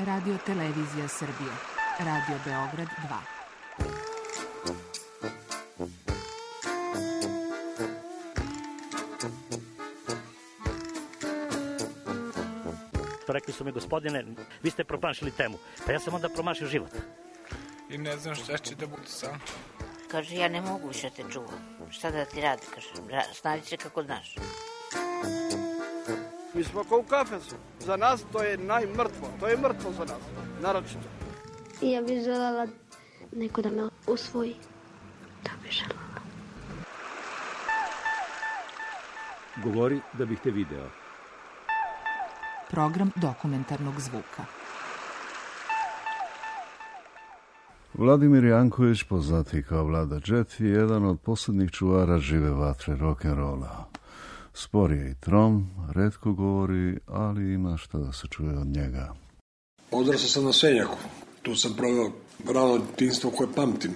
Radio Televizija Srbije. Radio Beograd 2. Rekli su mi, gospodine, vi ste promašili temu. Pa ja sam onda promašio život. I ne znam šta će da bude sam. Kaže, ja ne mogu više te čuvam. Šta da ti radi? Kaže, snađi se kako znaš. Mi smo kao u kafesu. Za nas to je najmrtvo. To je mrtvo za nas. Naročito. Ja bih želela neko da me usvoji. Da bih želela. Govori da bih te video. Program dokumentarnog zvuka. Vladimir Janković, poznati kao Vlada Džet, je jedan od posljednjih čuvara žive vatre rock'n'rolla. Spor je i trom, retko govori, ali ima šta da se čuje od njega. Odrastao sam na Senjaku. Tu sam proveo rano djetinjstvo koje pamtim.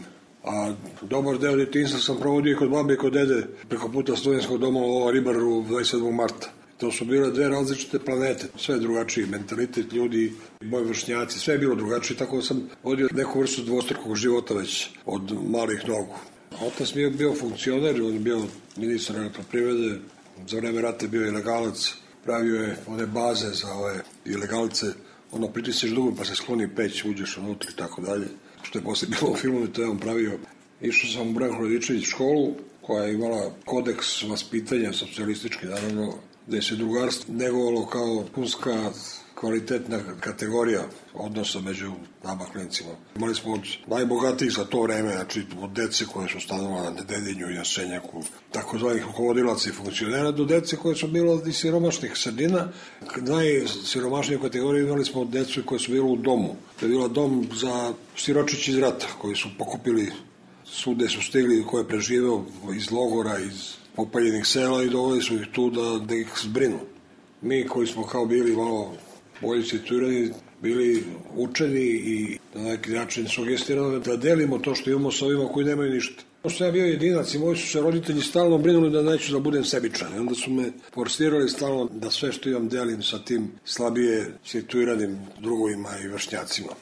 A dobar deo djetinjstva sam provodio kod babe i kod dede preko puta studentskog doma u Ribaru 27. marta. To su bile dve različite planete, sve drugačiji mentalitet ljudi, moji vršnjaci, sve je bilo drugačije, tako da sam vodio neku vrstu dvostrukog života već od malih nogu. Otac mi je bio funkcioner, on je bio ministar elektroprivrede, za vreme rata je bio ilegalac, pravio je one baze za ove ilegalce, pritisneš dugom pa se skloni peć, uđeš unutra i tako dalje, što je poslije bilo u filmu, to je on pravio. Išao sam u Branko Radičević školu, koja je imala kodeks vaspitanja, socijalistički naravno, gde se drugarstvo negovalo kao punska kvalitetna kategorija odnosa među nama klincima. Imali smo od najbogatijih za to vreme, znači od dece koje su stanovala na Dedinju i na Senjaku, takozvanih rukovodilaca i funkcionera, do dece koje su bilo iz siromašnih sredina. Najsiromašniju kategoriju imali smo od decu koje su bilo u domu. To je bila dom za siročići iz rata, koji su pokupili sude, su stigli, ko je preživeo iz logora, iz popaljenih sela i doveli su ih tu da ih zbrinu. Mi koji smo kao bili malo bolji situirani, bili učeni i na neki način sugestirani da delimo to što imamo sa ovima koji nemaju ništa. Pošto ja bio jedinac i moji su se roditelji stalno brinuli da neću da budem sebičan. I onda su me forsirali stalno da sve što imam delim sa tim slabije situiranim drugovima i vršnjacima.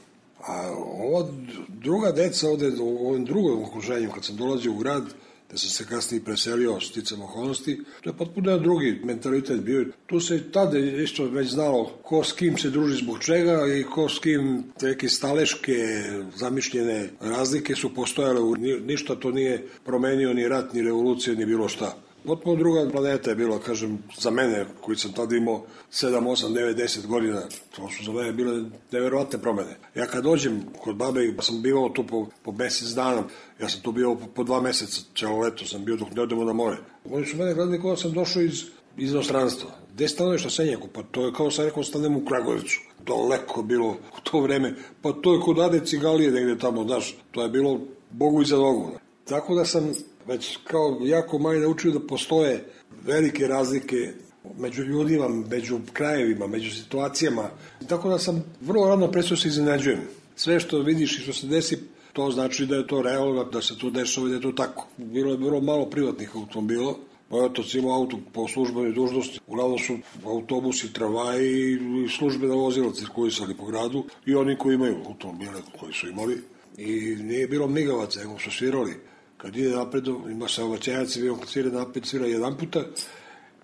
A ova druga deca ovde u ovom drugom okruženju, kad sam dolazio u grad, da sam se kasnije preselio sticam okolnosti, to je potpuno jedan drugi mentalitet bio. Tu se tada isto već znalo ko s kim se druži zbog čega i ko s kim neke staleške zamišljene razlike su postojale. Ništa to nije promenio, ni rat, ni revolucija, ni bilo šta. Potpuno druga planeta je bila, kažem, za mene, koji sam tada imao 7, 8, 9, 10 godina, to su za mene bile neverovatne promene. Ja kad dođem kod babe, sam bivao tu po mesec dana, ja sam tu bio po 2 meseca, celo leto sam bio dok ne odemo na more. Oni su mene gledali kao sam došao iz inostranstva. Gde stanuješ na Senjaku? Pa to je kao sam rekao, stanem u Kragujevcu. Daleko bilo u to vreme. Pa to je kod Ade Cigalije negde tamo, znaš, to je bilo Bogu iza nogu. Tako da sam već kao jako manje naučio da postoje velike razlike među ljudima, među krajevima, među situacijama. Tako da sam vrlo rano prestao se iznenađujem. Sve što vidiš i što se desi, to znači da je to realno, da se to dešava i da je to tako. Bilo je vrlo malo privatnih automobila. Moj otac imao auto po službenoj dužnosti. Uglavnom su autobusi, tramvaji i službena vozila cirkulisali po gradu i oni koji imaju automobile koji su imali. I nije bilo migavaca, nego su svirali. Kad ide napred, ima saobraćajac, kad svira napred, svira 1 puta.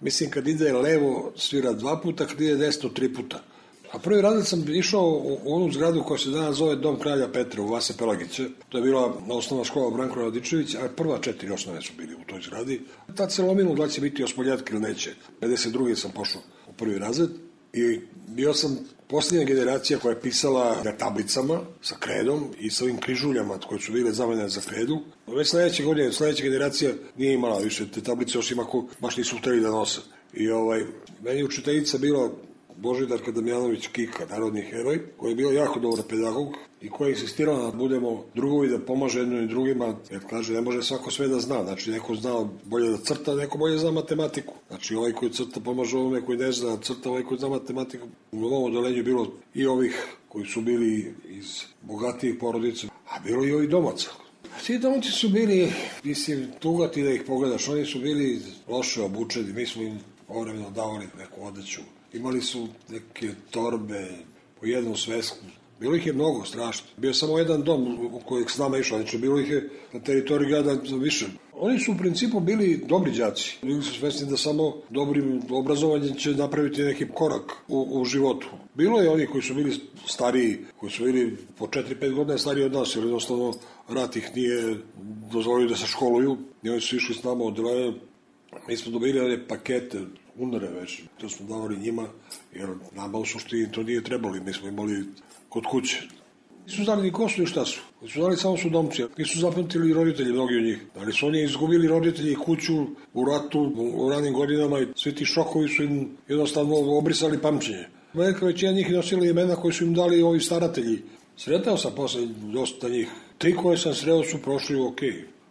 Mislim, kad ide levo, svira 2 puta, kad ide desno, 3 puta. A prvi razred sam išao u onu zgradu koja se danas zove Dom kralja Petra u Vase Pelagića. To je bila osnovna škola Branko Radičević, a prva 4 osnove su bili u toj zgradi. Tad se lomilo da će biti osmoljatke ili neće. 52. sam pošao u prvi razred i bio sam posljednja generacija koja je pisala na tablicama sa kredom i sa ovim križuljama koje su bile zamenjene za kredu. Već sledeće godine, sledeća generacija nije imala više te tablice, osim ako baš nisu hteli da nose. I meni učiteljica bila Božidarka Damjanović Kika, narodni heroj, koji je bio jako dobar pedagog i koji je insistirao da budemo drugovi, da pomaže jedno i drugima, jer kaže ne može svako sve da zna, znači neko zna bolje da crta, neko bolje zna matematiku. Znači ovaj koji crta pomaže ovome koji ne zna crta, ovaj koji zna matematiku. U ovom odelenju bilo i ovih koji su bili iz bogatijih porodica, a bilo i ovih domaca. Svi domaći su bili, mislim, tugati da ih pogledaš, oni su bili loše obučeni, mi smo im ovremeno davali neku odeću. Imali su neke torbe, po jednom svesku. Bilo ih je mnogo, strašno. Bio je samo jedan dom u kojeg s nama išao, znači bilo ih je na teritoriji grada više. Oni su u principu bili dobri đaci. Bili su svesni da samo dobrim obrazovanjem će napraviti neki korak u životu. Bilo je oni koji su bili stariji, koji su bili po 4-5 godina stariji od nas, jer jednostavno rat ih nije dozvolio da se školuju. I oni su išli s nama od mi smo dobili one pakete, unare već, to smo davali njima, jer nama u suštini to nije trebali, mi smo imali kod kuće. Nisu znali ni ko su i šta su. Nisu znali samo su domci. Nisu zapamtili roditelji, mnogi od njih. Ali su oni izgubili roditelji kuću u ratu, u ranim godinama i svi ti šokovi su im jednostavno obrisali pamćenje. Velika većina njih nosila imena koje su im dali ovi staratelji. Sretao sam posle dosta njih. 3 koje sam sreo su prošli ok.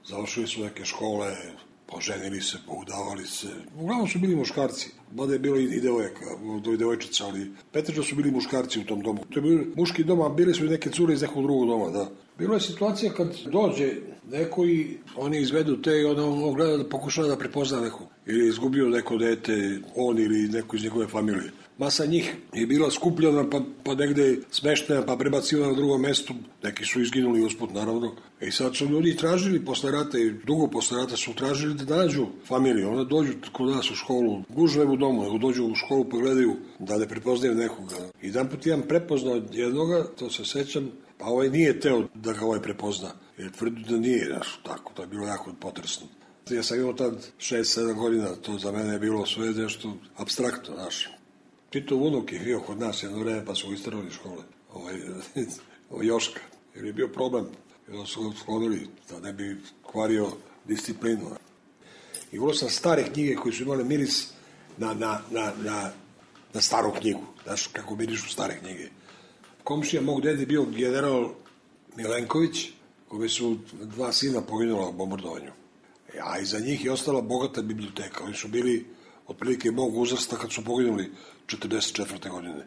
Završili su neke škole, poženili se, poudavali se. Uglavnom su bili muškarci. Mada je bilo i devojčica, ali pretežno su bili muškarci u tom domu. To je bio muški dom, a bili su i neke cure iz nekog drugog doma, da. Bilo je situacija kad dođe neko i oni izvedu te i on gleda da pokušava da prepozna neko. Ili je izgubio neko dete, on ili neko iz njegove familije. Masa njih je bila skupljena, pa negde smeštena, pa prebacivana na drugom mestu. Neki su izginuli usput, naravno. I sad su ljudi tražili posle rata i dugo posle rata su tražili da nađu familiju. Onda dođu kod nas u školu, gužve u domu, nego dođu u školu pa gledaju da ne prepoznaju nekoga. I jedan put jedan prepoznao jednoga, to se sećam, pa ovaj nije teo da ga ovaj prepozna. Jer tvrdi da nije, tako, to je bilo jako potresno. Ja sam imao tad 6-7 godina, to za mene je bilo sve nešto apstraktno, znaš. Titov unuk je bio kod nas jedno vreme, pa su isterali iz škole. Joška, jer je bio problem. Jer su ga sklonili da ne bi kvario disciplinu. I volio sam stare knjige koje su imale miris na staru knjigu. Znaš, kako mirišu stare knjige. Komšija mog dede bio general Milenković, koji su 2 sina poginula u bombardovanju. A iza njih je ostala bogata biblioteka. Oni su bili otprilike mog uzrasta kad su poginuli 44. godine.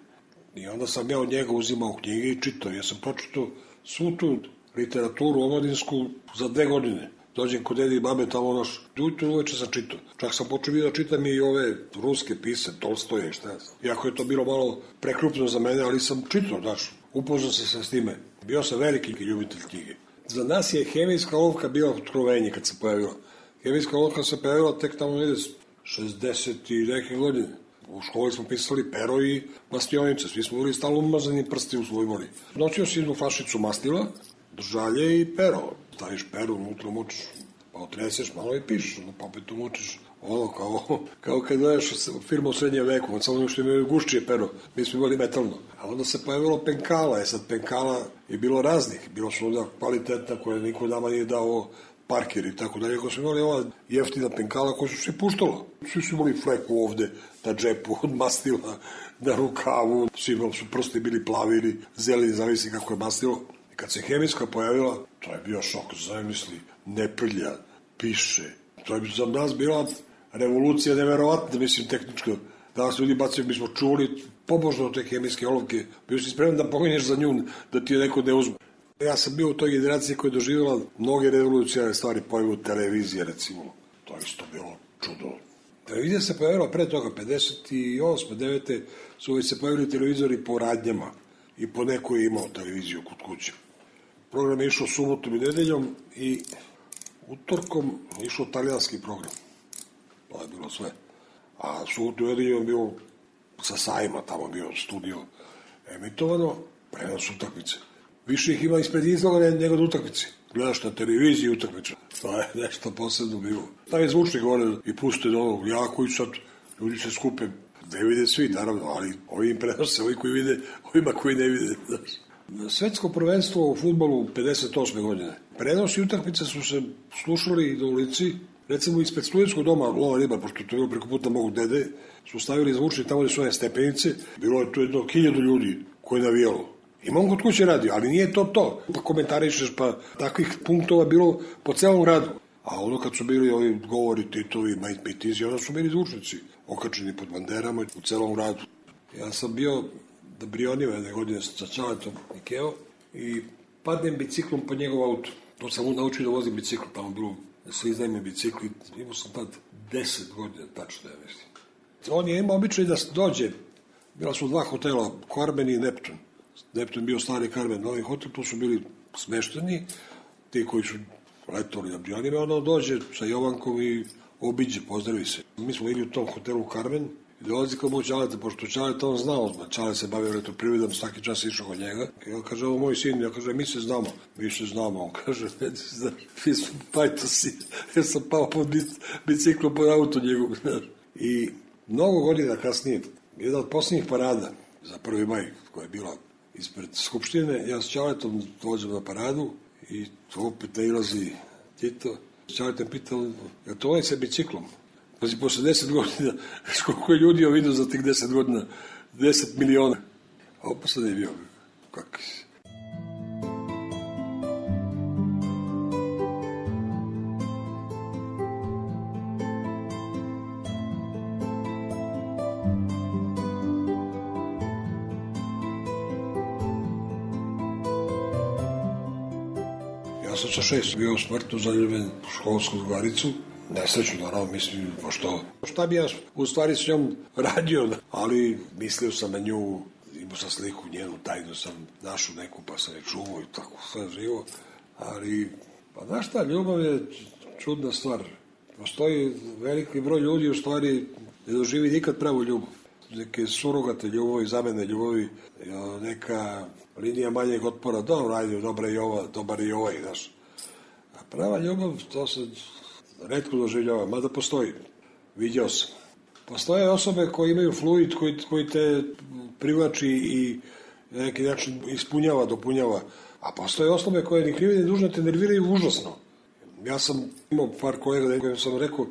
I onda sam ja od njega uzimao knjige i čitao. Ja sam pročitao svu tu literaturu omladinsku za 2 godine. Dođem kod dede i babe tamo naš. Uveče sam čitao. Čak sam počeo da čitam i ove ruske pise, Tolstoje i šta ja znam. Iako je to bilo malo prekrupno za mene, ali sam čitao, znaš. Upoznao se s time. Bio sam veliki ljubitelj knjige. Za nas je hemijska olovka bila otkrovenje kad se pojavila. Hemijska olovka se pojavila tek tamo 60 i neke godine. U školi smo pisali pero i mastionice. Svi smo bili stalno umazani prsti u svoj moli. Noćio si jednu flašicu mastila, držalje i pero. Staviš pero, unutra mučiš, pa otreseš malo i pišeš, pa opet umučiš. Ono, kao kad gledaš firmu u srednjem veku, od samo što imaju gušćije pero, mi smo imali metalno. A onda se pojavilo penkala, sad penkala je bilo raznih. Bilo su onda kvalitetna koja niko nama nije dao Parker i tako dalje, ako smo imali ova jeftina penkala koja su se puštala. Svi su imali fleku ovde, na džepu, od mastila, na rukavu, svi su prsti bili plavi ili zeleni, zavisi kako je mastilo. I kad se hemijska pojavila, to je bio šok, zamisli, ne prlja, piše. To je za nas bila revolucija neverovatna, mislim, tehničko. Danas ljudi bacaju, mi smo čuli pobožno te hemijske olovke. Bio si spreman da poginješ za nju, da ti je neko ne uzme. Ja sam bio u toj generaciji koja je doživjela mnoge revolucionarne stvari, pojavu televizije, recimo. To je isto bilo čudo. Televizija se pojavila pre toga, 58. 9. su već se pojavili televizori po radnjama i po neko je imao televiziju kod kuće. Program je išao subotom i nedeljom i utorkom je išao talijanski program. To je bilo sve. A subotom i nedeljom je bio sa sajma, tamo bio studio emitovano, prenos utakmice. Više ih ima ispred izloga nego da utakmici. Gledaš na televiziji utakmicu. To je nešto posebno bilo. Tam je zvučnik gore i puste do ovog jako i sad ljudi se skupe. Ne vide svi, naravno, ali ovi im prenose, ovi koji vide, ovima koji ne vide. Svetsko prvenstvo u fudbalu 58. godine. Prenosi utakmice su se slušali do ulici. Recimo ispred studentskog doma Lova Ribar, pošto to je bilo preko puta mog dede, su stavili zvučnik tamo gde su one stepenice. Bilo je to 1000 ljudi koji je navijalo. Imam kod kuće radio, ali nije to. Pa komentarišeš, pa takvih punktova bilo po celom gradu. A ono kad su bili ovi govori, titovi, mitizi, onda su bili zvučnici okačeni pod banderama u celom gradu. Ja sam bio da Brionima jedne godine sa Čaletom Nikeo i padnem biciklom po njegov auto. To sam mu naučio da vozim bicikl, tamo bilo da se iznajme bicikli. Imao sam tad 10 godina, tačno ja mislim. On je imao običaj da dođe, bila su 2 hotela, Korben i Neptun. Neptun bio stari Karmen, novi hotel, tu su bili smešteni, ti koji su letovali na avionima, ono dođe sa Jovankom i obiđe, pozdravi se. Mi smo bili u tom hotelu Karmen i dolazi kao moj Čaleta, pošto Čaleta on znao, Čale se bavio elektroprivredom, svaki čas išao kod njega. I on kaže, ovo moj sin, ja kaže, mi se znamo, on kaže, ne znaš, mi smo pajtosi, ja sam pao pod biciklu, pod auto njegov, znaš. I mnogo godina kasnije, jedna od posljednjih parada za 1. maj, koja je bila ispred Skupštine, ja s Čaletom dođem na paradu i to opet nailazi Tito. Čaletom pitao, je to ovaj sa biciklom? Pazi, posle 10 godina, koliko je ljudi vidio za tih 10 godina? 10 miliona. A ovo posle je bio. Kakvi si? Ja sam sa 6 bio smrtno zaljubljen u školsku drugaricu. Nesreću, naravno, mislim, pošto šta bi ja u stvari s njom radio, ali mislio sam na nju, imao sam sliku njenu, tajnu sam našao neku, pa sam je čuvao i tako sve živo, ali, pa znaš šta, ljubav je čudna stvar. Postoji veliki broj ljudi, u stvari, ne doživi nikad pravu ljubav. Neke surogate ljubavi, zamene ljubavi, neka linija manjeg otpora, dobro, ajde, dobar je ovaj, znaš. A prava ljubav, to se retko doživljava, mada postoji. Vidio sam. Postoje osobe koje imaju fluid, koji te privlači i na neki način ispunjava, dopunjava. A postoje osobe koje ni krive ni dužne te nerviraju užasno. Ja sam imao par kolega kojim sam rekao,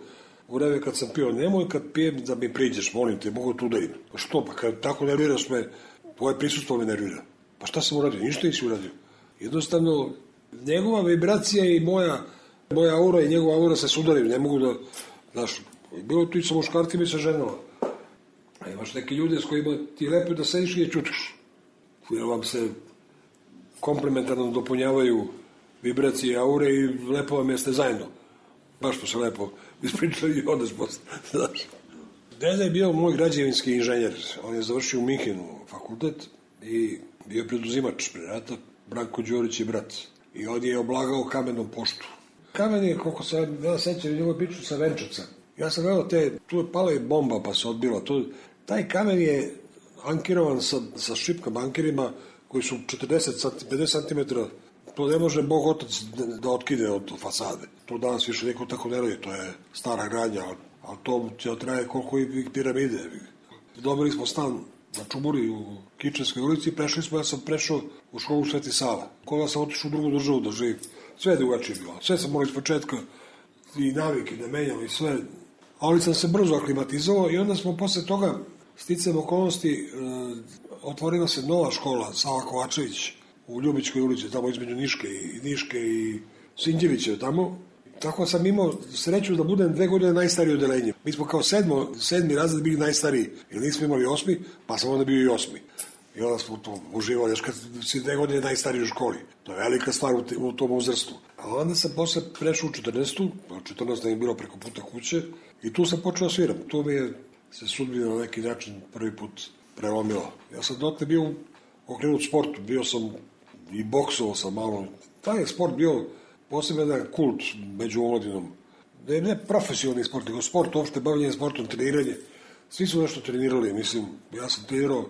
u vreme kad sam pio, nemoj kad pijem da mi priđeš, molim te, mogu tu da idem. Pa što, pa kad tako nerviraš me, tvoje prisustvo me nervira. Pa šta sam uradio? Ništa nisi uradio. Jednostavno, njegova vibracija i moja aura i njegova aura se sudaraju, ne mogu da, znaš, bilo tu i sa muškarcima i sa ženama. A imaš neke ljude s kojima ti je lepo da sediš i je čutiš. Jer vam se komplementarno dopunjavaju vibracije i aure i lepo vam jeste zajedno. Baš smo se lepo ispričali i odeš posle, znaš. Deda je bio moj građevinski inženjer. On je završio u Minhenu fakultet i bio preduzimač pre rata. Branko Đorić je brat. I on je oblagao kamenom poštu. Kamen je, koliko se ja sećam, njegovu priču sa Venčevca. Ja sam gledao tu je pala i bomba pa se odbila. Taj kamen je ankirovan sa šipkama ankirima koji su 50 cm. To ne može Bog otac da otkide od fasade. To danas više niko tako ne radi, to je stara gradnja, ali to će traje koliko i piramide. Dobili smo stan na Čuburi u Kičevskoj ulici i ja sam prešao u školu Sveti Sava. Kola sam otišao u drugu državu da živim. Sve je drugačije bilo. Sve sam morao iz početka i navike da menjam i sve. Ali sam se brzo aklimatizovao i onda smo posle toga sticajem okolnosti otvorila se nova škola Sava Kovačević u Ljubičkoj ulici, tamo između Niške i Sinđevića tamo. Tako sam imao sreću da budem 2 godine najstariji odelenje. Mi smo kao sedmi razred bili najstariji, jer nismo imali 8, pa sam onda bio i 8. I onda smo to uživali, još kad si 2 godine najstariji u školi. To je velika stvar u tom uzrastu. A onda sam posle prešao u 14. 14 je bilo preko puta kuće i tu sam počeo da sviram. Tu mi je se sudbina na neki način prvi put prelomila. Ja sam dotle bio okrenut sportu, bio sam i boksovao sam malo. Taj je sport bio posebno jedan kult među omladinom. Ne profesionalni sport, nego sport, uopšte bavljanje sportom, treniranje. Svi su nešto trenirali, mislim, ja sam trenirao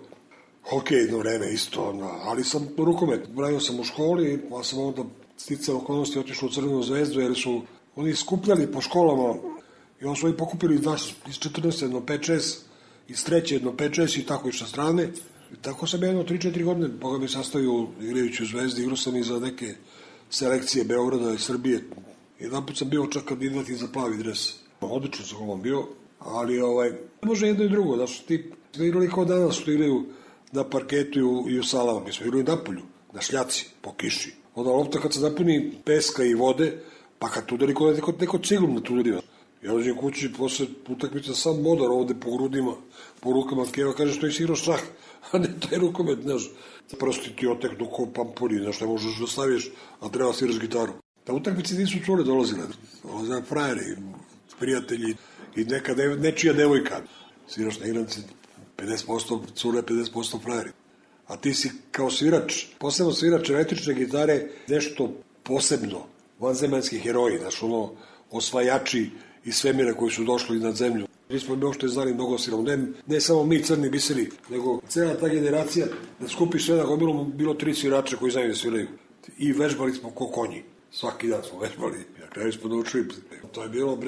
hokej jedno vreme isto, ali sam rukomet. Branio sam u školi, pa sam onda sticao okolnosti otišao u Crvenu zvezdu, jer su oni skupljali po školama i onda su oni pokupili iz 14 jedno 5-6, iz 3 jedno 5-6 i tako išla strane. I tako sam jedno 3-4 godine, Boga mi sastavio igrajući u Zvezdi, igrao sam i za neke selekcije Beograda i Srbije. Jedan put sam bio čak kandidat i za plavi dres. Odlično sam ovom bio, ali ne može jedno i drugo, da su ti igrali kao danas, što igraju na parketu i u salama. Mi smo igrali napolju, na šljaci, po kiši. Onda lopta kad se napuni peska i vode, pa kad udari neko ciglom da tu udari. Ja dođem kući, posle utakmice sam modar ovde po grudima, po rukama, Keva kaže što je igrao šah, a ne taj rukomet, znaš. Prosti ti oteknu ko pampuri, znaš, ne možeš da staviš, a treba sviraš gitaru. Ta utakmice nisu cure dolazile frajeri, prijatelji i nečija devojka. Sviraš na igranci 50% cure, 50% frajeri. a ti si kao svirač, posebno svirač električne gitare, nešto posebno, vanzemaljski heroji, znaš, ono, osvajači iz svemira koji su došli na zemlju. Nismo mi uopšte znali mnogo sila, ne samo mi crni biseri, nego cela ta generacija, da skupi sve na gomilu, bilo 3 svirača koji znaju da sviraju. I vežbali smo ko konji. Svaki dan smo vežbali. Na kraju smo naučili. To je bilo,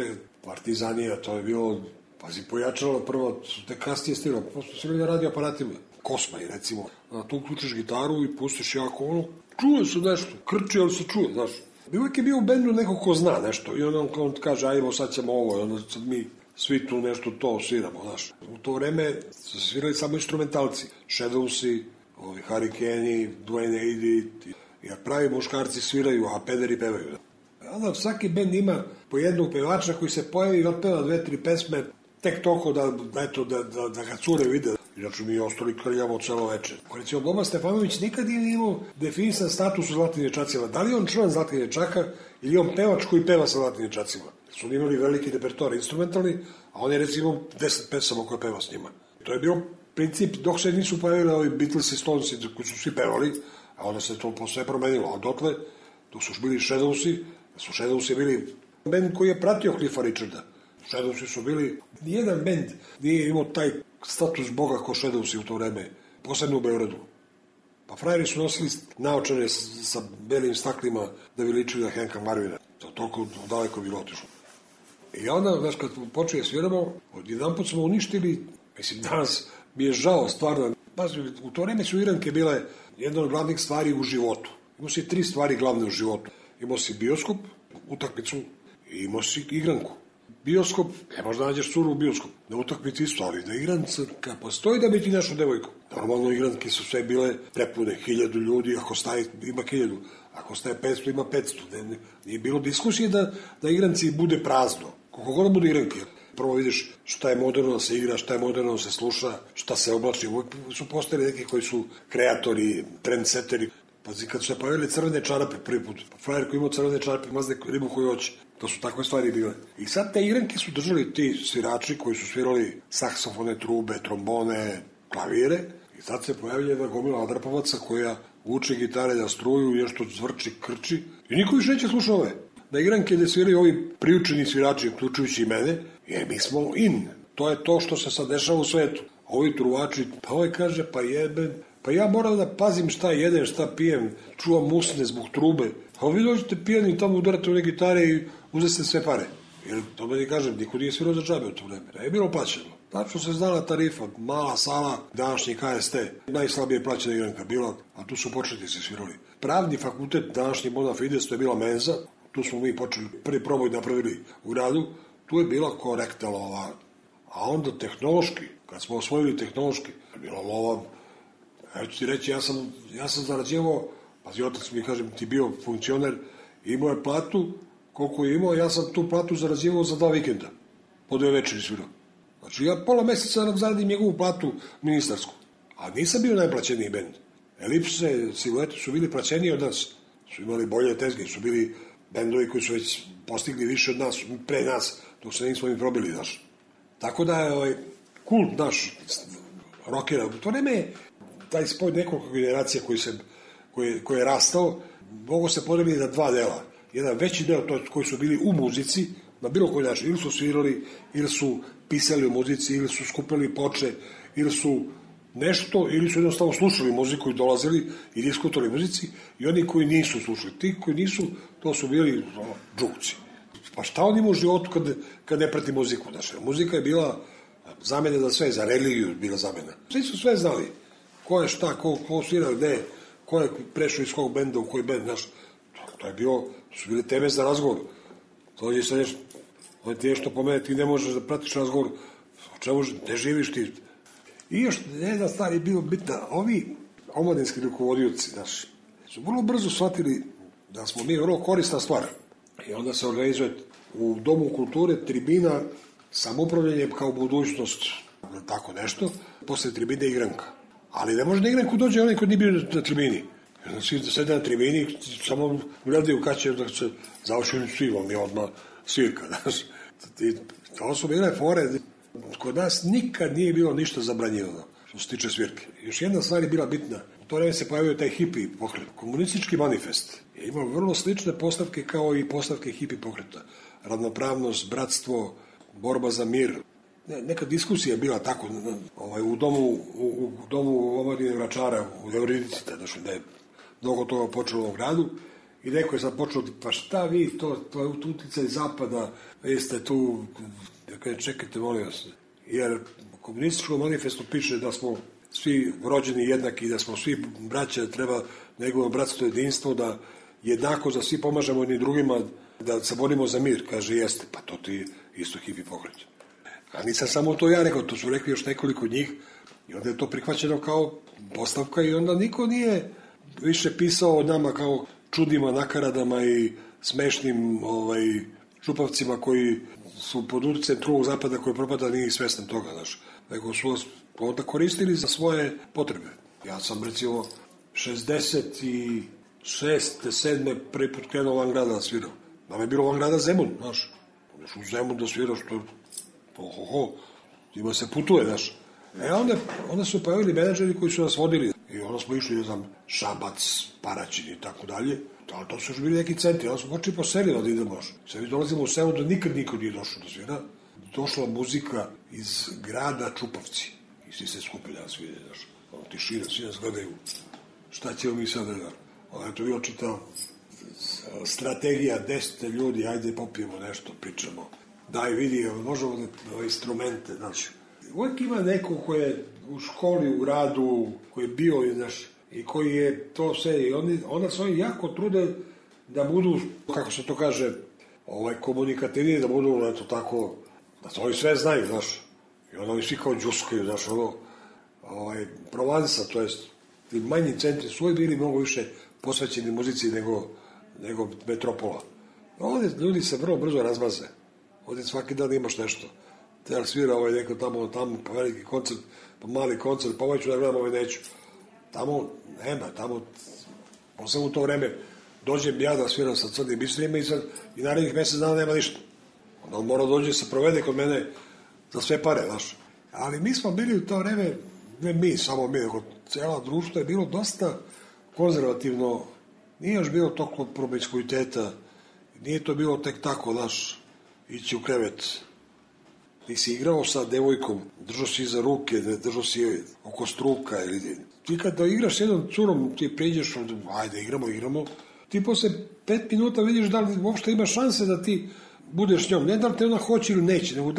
partizanija, to je bilo, pazi, pojačalo prvo, te kasnije stirao, prosto svirali na radio aparatima. Kosmaj, recimo. Tu uključiš gitaru i pustiš jako ono, čuje se nešto, krči, ali se čuje, znaš. Uvijek je bio u bendu neko ko zna nešto i on kaže, ajmo, sad ćemo ovo, i onda sad mi svi tu nešto to sviramo, znaš. U to vreme su svirali samo instrumentalci, Shadowsi, Hurricane, Duane Eddy, jer pravi muškarci sviraju, a pederi pevaju. Onda svaki bend ima po jednog pevača koji se pojavi i otpeva 2-3 pesme, tek toliko da ga cure vide. Inače mi je ostali krljavo celo večer. Recimo, Boba Stefanović nikad nije imao definisan status u Zlatnim dječacima. Da li on član Zlatnih dječaka ili on pevač koji peva sa Zlatnim dječacima? Su oni imali veliki repertoar instrumentalni, a on je recimo 10 pesama koje peva s njima. To je bio princip dok se nisu pojavili ovi Beatles i Stonesi koji su svi pevali, a onda se to posle promenilo. A dotle, dok su bili Shadowsi, su Shadowsi bili bend koji je pratio Cliffa Richarda. Shadowsi su bili, nijedan bend nije imao taj status boga ko Shadowsi u to vreme, posebno u Beogradu. Pa frajeri su nosili naočare sa belim staklima da bi ličili na Hanka Marvina. To toliko daleko bilo otišlo. I onda, znaš, kad počeli sviramo, jedan put smo uništili, mislim, danas mi je žao, stvarno. Pazi, u to vreme su Iranke bile jedna od glavnih stvari u životu. Imao si 3 stvari glavne u životu. Imao si bioskop, utakmicu i imao si igranku. Bioskop, ne možda nađeš curu u bioskop. Na utakmici isto, ali da igranca, kad postoji da bi ti našo devojku. Normalno igranke su sve bile prepune, 1000 ljudi, ako staje, ima 1000. Ako staje 500, ima 500. Nije bilo diskusije da igranci bude prazno. Koliko god bude igranke. Prvo vidiš šta je moderno da se igra, šta je moderno da se sluša, šta se oblači. Uvijek su postali neki koji su kreatori, trendseteri. Pazi, kad su se pojavili crvene čarape prvi put, frajer koji imao crvene čarape, mazne ribu koju hoće. To su takve stvari bile. I sad te igranke su držali ti svirači koji su svirali saksofone, trube, trombone, klavire. I sad se pojavlja jedna gomila adrapavaca koja uče gitare da struju, nešto zvrči, krči. I niko više neće slušao ove. Na igranke gde sviraju ovi priučeni svirači, uključujući i mene, mi smo in. To je to što se sad dešava u svetu. Ovi truvači, pa ovaj kaže, pa jebe, pa ja moram da pazim šta jedem, šta pijem, čuvam usne zbog trube. A vi dođete pijani tamo udarate u ne gitare i uzeste sve pare. Jer to meni kažem, niko nije svirao za džabe u to vreme. Ne je bilo plaćeno. Tačno se znala tarifa, mala sala, današnji KST, najslabije plaćena igranka bila, a tu su početnici svirali. Pravni fakultet, današnji Bona Fides, to je bila menza, tu smo mi počeli, prvi proboj napravili u gradu, tu je bila korektna lova. A onda tehnološki, kad smo osvojili tehnološki, je bila lova, ja ću ti reći, ja sam zarađivao, pazi, otac mi kažem, ti bio funkcioner, imao je platu, koliko je imao, ja sam tu platu zarađivao za 2 vikenda, po 2 večeri svirao. Znači, ja pola meseca nam zaradim njegovu platu ministarsku, a nisam bio najplaćeniji bend. Elipse, Siluete su bili plaćeniji od nas, su imali bolje tezge, su bili bendovi koji su već postigli više od nas, pre nas, dok se nismo im probili, znaš. Tako da je kult naš rockera. To vreme je taj spoj nekoliko generacija koji je rastao, mogo se podeliti na 2 dela. Jedan veći deo koji su bili u muzici, na bilo koji način, ili su svirali, ili su pisali o muzici, ili su skupili ploče, ili su nešto, ili su jednostavno slušali muziku i dolazili i diskutovali muzici, i oni koji nisu slušali. Ti koji nisu, to su bili džukci. Pa šta on ima u životu kad ne prati muziku? Znači, muzika je bila zamena za sve, za religiju bila zamena. Svi su sve znali. Ko je šta, ko svira, gde, ko je prešao iz kog benda u koji bend, znaš. To je bilo, su bile teme za razgovor. To je sad nešto, on ti nešto pomene, ti ne možeš da pratiš razgovor, o čemu, ne živiš ti. I još jedna stvar je bilo bitna, ovi omladinski rukovodioci, znaš, su vrlo brzo shvatili da smo mi vrlo korisna stvar. I onda se organizuje u Domu kulture tribina samoupravljanje kao budućnost, tako nešto, posle tribine igranka. Ali ne može na igranku dođe onaj koji nije bio na tribini. Svi sede na tribini, samo gledaju kad će da se završili svivom i odmah svirka, znaš. To su bile fore. Kod nas nikad nije bilo ništa zabranjivano što se tiče svirke. Još jedna stvar je bila bitna. to vreme se pojavio taj hipi pokret. Komunistički manifest je imao vrlo slične postavke kao i postavke hipi pokreta. Ravnopravnost, bratstvo, borba za mir. Neka diskusija je bila tako u domu omladine Vračara u Euridicite, znači da je mnogo toga počelo u gradu i neko je sad počeo, pa šta vi, to je uticaj zapada, vi ste tu, čekajte, molim vas, jer u komunističkom manifestu piše da smo svi rođeni jednaki, da smo svi braća, da treba njegovo bratstvo jedinstvo, da jednako za svi pomažemo jedni drugima, da se borimo za mir, kaže, jeste, pa to ti isto hipi pokret. A nisam samo to ja rekao, to su rekli još nekoliko njih i onda je to prihvaćeno kao postavka i onda niko nije više pisao o nama kao čudima, nakaradama i smešnim čupavcima koji su pod uticajem drugog zapada koji propada, nije svestan toga, znaš. Nego su vas onda koristili za svoje potrebe. Ja sam recimo 66. 7. prvi put krenuo van grada da svirao. Nam je bilo van grada Zemun, znaš. Odeš u Zemun da sviraš, to ima se putuje, znaš. Onda su pojavili menadžeri koji su nas vodili. I onda smo išli, ne znam, Šabac, Paraćin i tako dalje. Ali to su još bili neki centri. Onda smo počeli po selima da idemo. Sve mi dolazimo u selu da nikad niko nije došao da svira. Došla muzika iz grada Čupavci. I svi se skupili da svire, znaš. Tišina, svi nas gledaju. Šta ćemo mi sad da... Onda je to bilo čitao strategija 10 ljudi, ajde popijemo nešto, pričamo. Daj, vidi, možemo da instrumente, znači. Uvijek ima neko koji je u školi, u gradu, koji je bio, znaš, i koji je to sve, i onda se oni jako trude da budu, kako se to kaže, komunikativni, da budu, eto tako, da to oni sve znaju, znaš. I onda oni svi kao džuskaju, znaš, Provansa, to jest, ti manji centri su uvijek bili mnogo više posvećeni muzici nego metropola. Ovdje ljudi se vrlo brzo razmaze. Ovdje svaki dan imaš nešto. Te svira neko tamo, pa veliki koncert, pa mali koncert, pa ću da gledam, neću. Tamo nema, posebno u to vreme, dođem ja da sviram sa Crnim Bistrima i narednih mjesec dana nema ništa. Onda on mora dođe se provede kod mene za sve pare, znaš. Ali mi smo bili u to vreme, ne mi, samo mi, nego cijela društvo je bilo dosta konzervativno, nije još bilo toliko promiskuiteta, nije to bilo tek tako, znaš, ići u krevet. Ti si igrao sa devojkom, držao si iza ruke, držao si oko struka. Ti kada igraš s jednom curom, ti priđeš, ajde, igramo. Ti posle 5 minuta vidiš da li uopšte ima šanse da ti budeš s njom. Ne da li te ona hoće ili neće, nego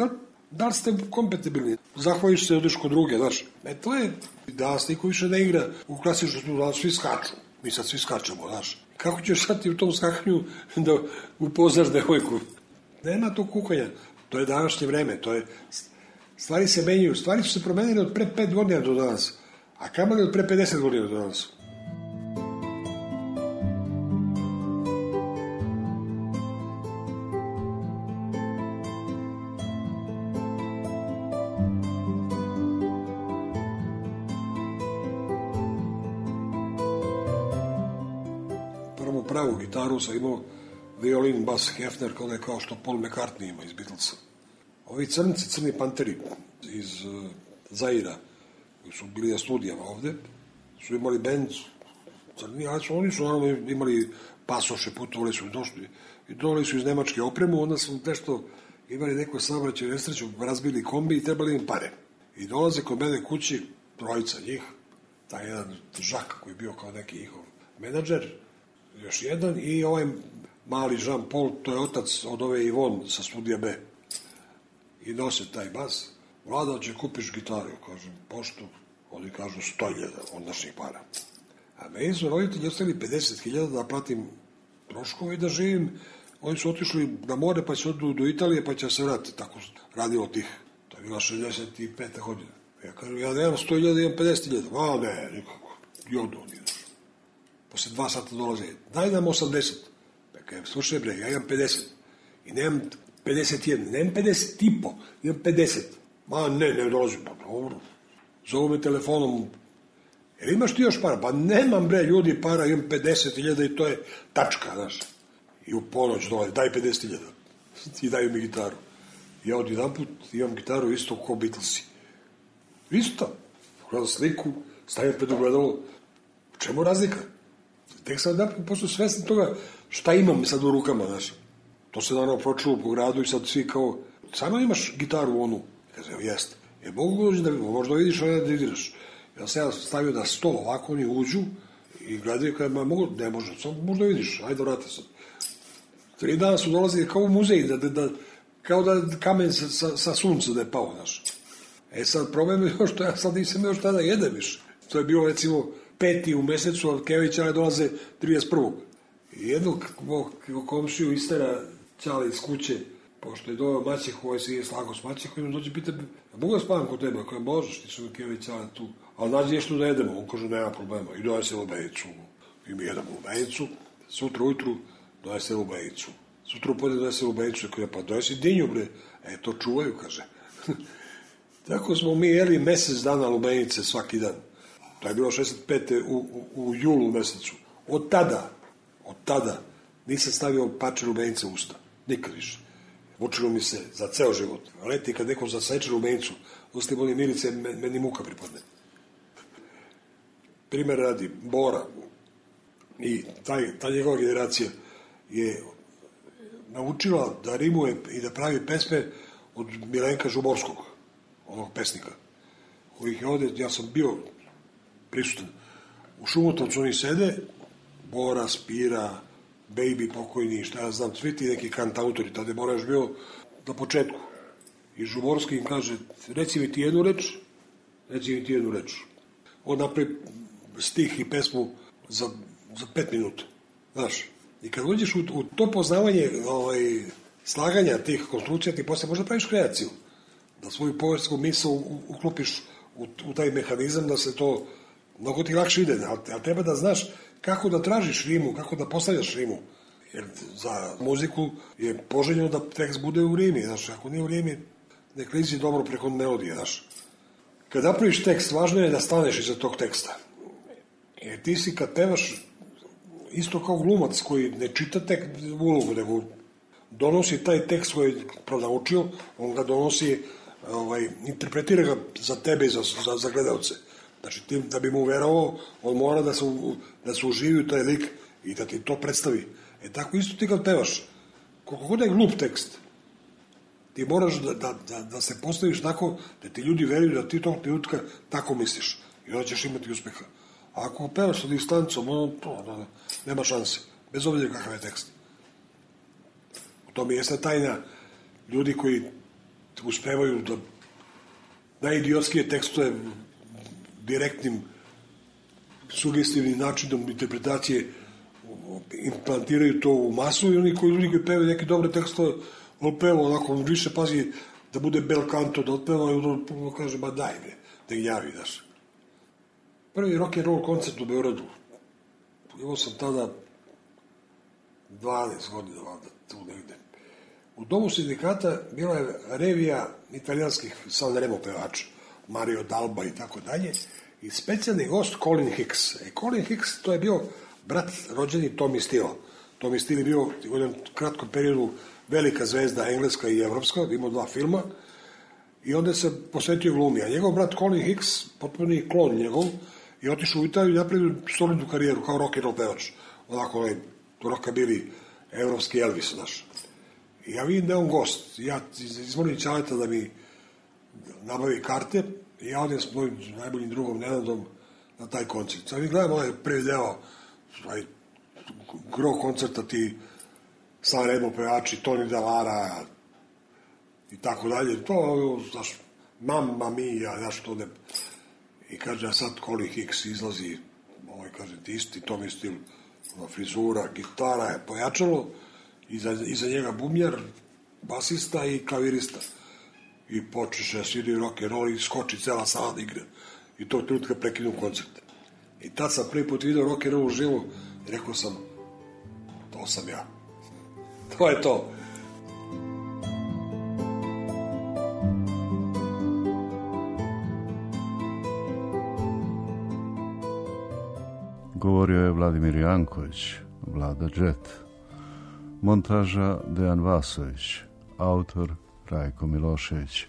da li ste kompatibilni. Zahvališ se, odeš kod druge, znaš. To je, danas niko više ne igra u klasičnu snu, danas svi skaču. Mi sad svi skačemo, znaš. Kako ćeš sad ti u tom skakanju da upoznaš devojku? Nema tog kukanja. To je današnje vreme, stvari se menjaju, stvari su se promenile od pre 5 godina do danas, a kamali od pre 50 godina do danas. Prvu pravu gitaru sam imao violin, bas, Hefner, kao što Paul McCartney ima iz Beatlesa. Ovi crni panteri iz Zaira, koji su bili na studijama ovde, su imali bend crni, ali oni su imali pasoše, putovali su i došli. I donali su iz Nemačke opremu, onda su nešto imali neko saobraćaj nesreću, razbili kombi i trebali im pare. I dolaze kod mene kući, trojica njih, taj jedan Žak koji je bio kao neki njihov menadžer, još jedan i ovaj mali Jean-Paul, to je otac od ove Ivon sa studija B. I nose taj bas. Vlada, će kupiš gitaru? Kažem, pošto? Oni kažu 100.000 od naših para. A meni su roditelji ostavili 50.000 da platim troškove i da živim. Oni su otišli na more pa će odu do Italije pa će se vratiti. Tako radilo tih. To je bila 65. godina. Ja kažem, ja nemam 100.000, imam 50.000. A ne, nikako. Jodu oni. Posle 2 sata dolaze. Daj nam 80. Slušaj bre, ja imam 50 i nemam 51, nemam 50 i po, imam 50. Ma ne dolazim, pa dobro. Zovu me telefonom, jer imaš ti još para? Pa nemam bre ljudi para, imam 50.000 i to je tačka, znaš. I u ponoć dolazi, daj 50.000 i daju mi gitaru. Ja od jedan put imam gitaru isto kao Beatlesi. Isto. Gledam sliku, stavim pred ogledalo, čemu razlika? Tek sam da posto svestan toga šta imam sad u rukama, znaš. To se naravno pročulo po gradu i sad svi kao, samo imaš gitaru onu. Kaže, jeste. Mogu dođi da možda vidiš da didiraš. Ja sam stavio na sto, ovako oni uđu i gledaju kada mogu, ne može, samo možda vidiš, ajde vrati sad. 3 dana su dolazili kao u muzej, kao da kamen sa sunca da je pao, znaš. Sad problem je još što ja sad nisam još tada jedem više. To je bilo recimo 5. u mesecu, a Keva i Ćale dolaze 31. I jednog komšiju istera Ćale iz kuće, pošto je doveo maćehu, ovaj se je slago s maćehom, i on dođe pita, mogu da spavam kod tebe? Ako je možeš, ti su Keva i Ćale tu. Ali nađe nešto da jedemo, on kaže, nema problema. I donese lubejicu. I mi jedemo lubejicu, sutra ujutru donese lubejicu. Sutra upodne donese lubejicu, i kaže, pa donesi dinju, bre. To čuvaju, kaže. Tako smo mi jeli mesec dana lubenice svaki dan. To je bilo 65. u julu mesecu. Od tada nisam stavio pače lubenice u usta. Nikad više. Vučilo mi se za ceo život. Leti kad neko zaseče lubenicu, usti boli mirice, meni muka pripadne. Primer radi, Bora i ta njegova generacija je naučila da rimuje i da pravi pesme od Milenka Žuborskog, onog pesnika, kojih je ovde, ja sam bio prisutan. U Šumotovcu oni sede, Bora, Spira, Baby pokojni, šta ja znam, svi ti neki kantautori, tada je Bora još bio na početku. I Žuborski im kaže, reci mi ti jednu reč. On napravi stih i pesmu za 5 minuta. Znaš, i kad uđeš u to poznavanje slaganja tih konstrukcija, ti posle možda praviš kreaciju. Da svoju površsku misl uklopiš u taj mehanizam, da se to mnogo ti lakše ide. Ali treba da znaš kako da tražiš rimu, kako da postavljaš rimu. Jer za muziku je poželjno da tekst bude u rimi. Znaš, ako nije u rimi, ne klizi dobro preko melodije, znaš. Kad napraviš tekst, važno je da staneš iza tog teksta. Jer ti si kad pevaš isto kao glumac koji ne čita tek ulogu, nego donosi taj tekst koji je pronaučio, on ga donosi, interpretira ga za tebe i za gledalce. Znači, ti, da bi mu verovao, on mora da se uživi u taj lik i da ti to predstavi. Tako isto ti kad pevaš, koliko god je glup tekst, ti moraš da se postaviš tako da ti ljudi veruju da ti tog trenutka tako misliš i onda ćeš imati uspeha. A ako pevaš sa distancom, nema šanse, bez obzira kakav je tekst. U tome jeste tajna ljudi koji uspevaju da najidiotskije tekstove direktnim, sugestivnim načinom interpretacije implantiraju to u masu i oni ljudi koji pevaju neke dobre tekstove, on peva onako, on više pazi da bude bel canto, da otpeva i on kaže, ba daj me, da ih javi, daš. Prvi rock and roll koncert u Beogradu, imao sam tada 12 godina, tu negde. U domu sindikata bila je revija italijanskih Sanremo pevača, Mario Dalba i tako dalje, i specijalni gost Colin Hicks. Colin Hicks, to je bio brat rođeni Tommy Steele. Tommy Steele je bio u jednom kratkom periodu velika zvezda, engleska i evropska, imao 2 filma, i onda se posvetio glumi. A njegov brat Colin Hicks, potpuni klon njegov, je otišao u Italiju i napravio solidnu karijeru kao rock and roll pevač. Onako, rockabilly, evropski Elvis, znaš. I ja vidim da je on gost. Ja izmolim Ćaleta da mi nabavi karte i ja odem s mojim najboljim drugom Nenadom na taj koncert. Sad mi gledam ovaj prvi deo, gro koncerta, ti Sanremo pevači, Tony Dallara i tako dalje. To, znaš, mamma mia, znaš, to ne... I kaže, a sad Colin Hicks izlazi, kaže, ti isti, Tommy Steele, frizura, gitara je pojačalo, iza njega bubnjar, basista i klavirista. I počeše svidi rock and roll i skoči cela sala da igra. I tog trenutka prekinu koncert. I tad sam prvi put vidio rock and roll uživo i rekao sam, to sam ja. To je to. Govorio je Vladimir Janković, Vlada Džet. Montaža Dejan Vasović, autor Rajko Milošević.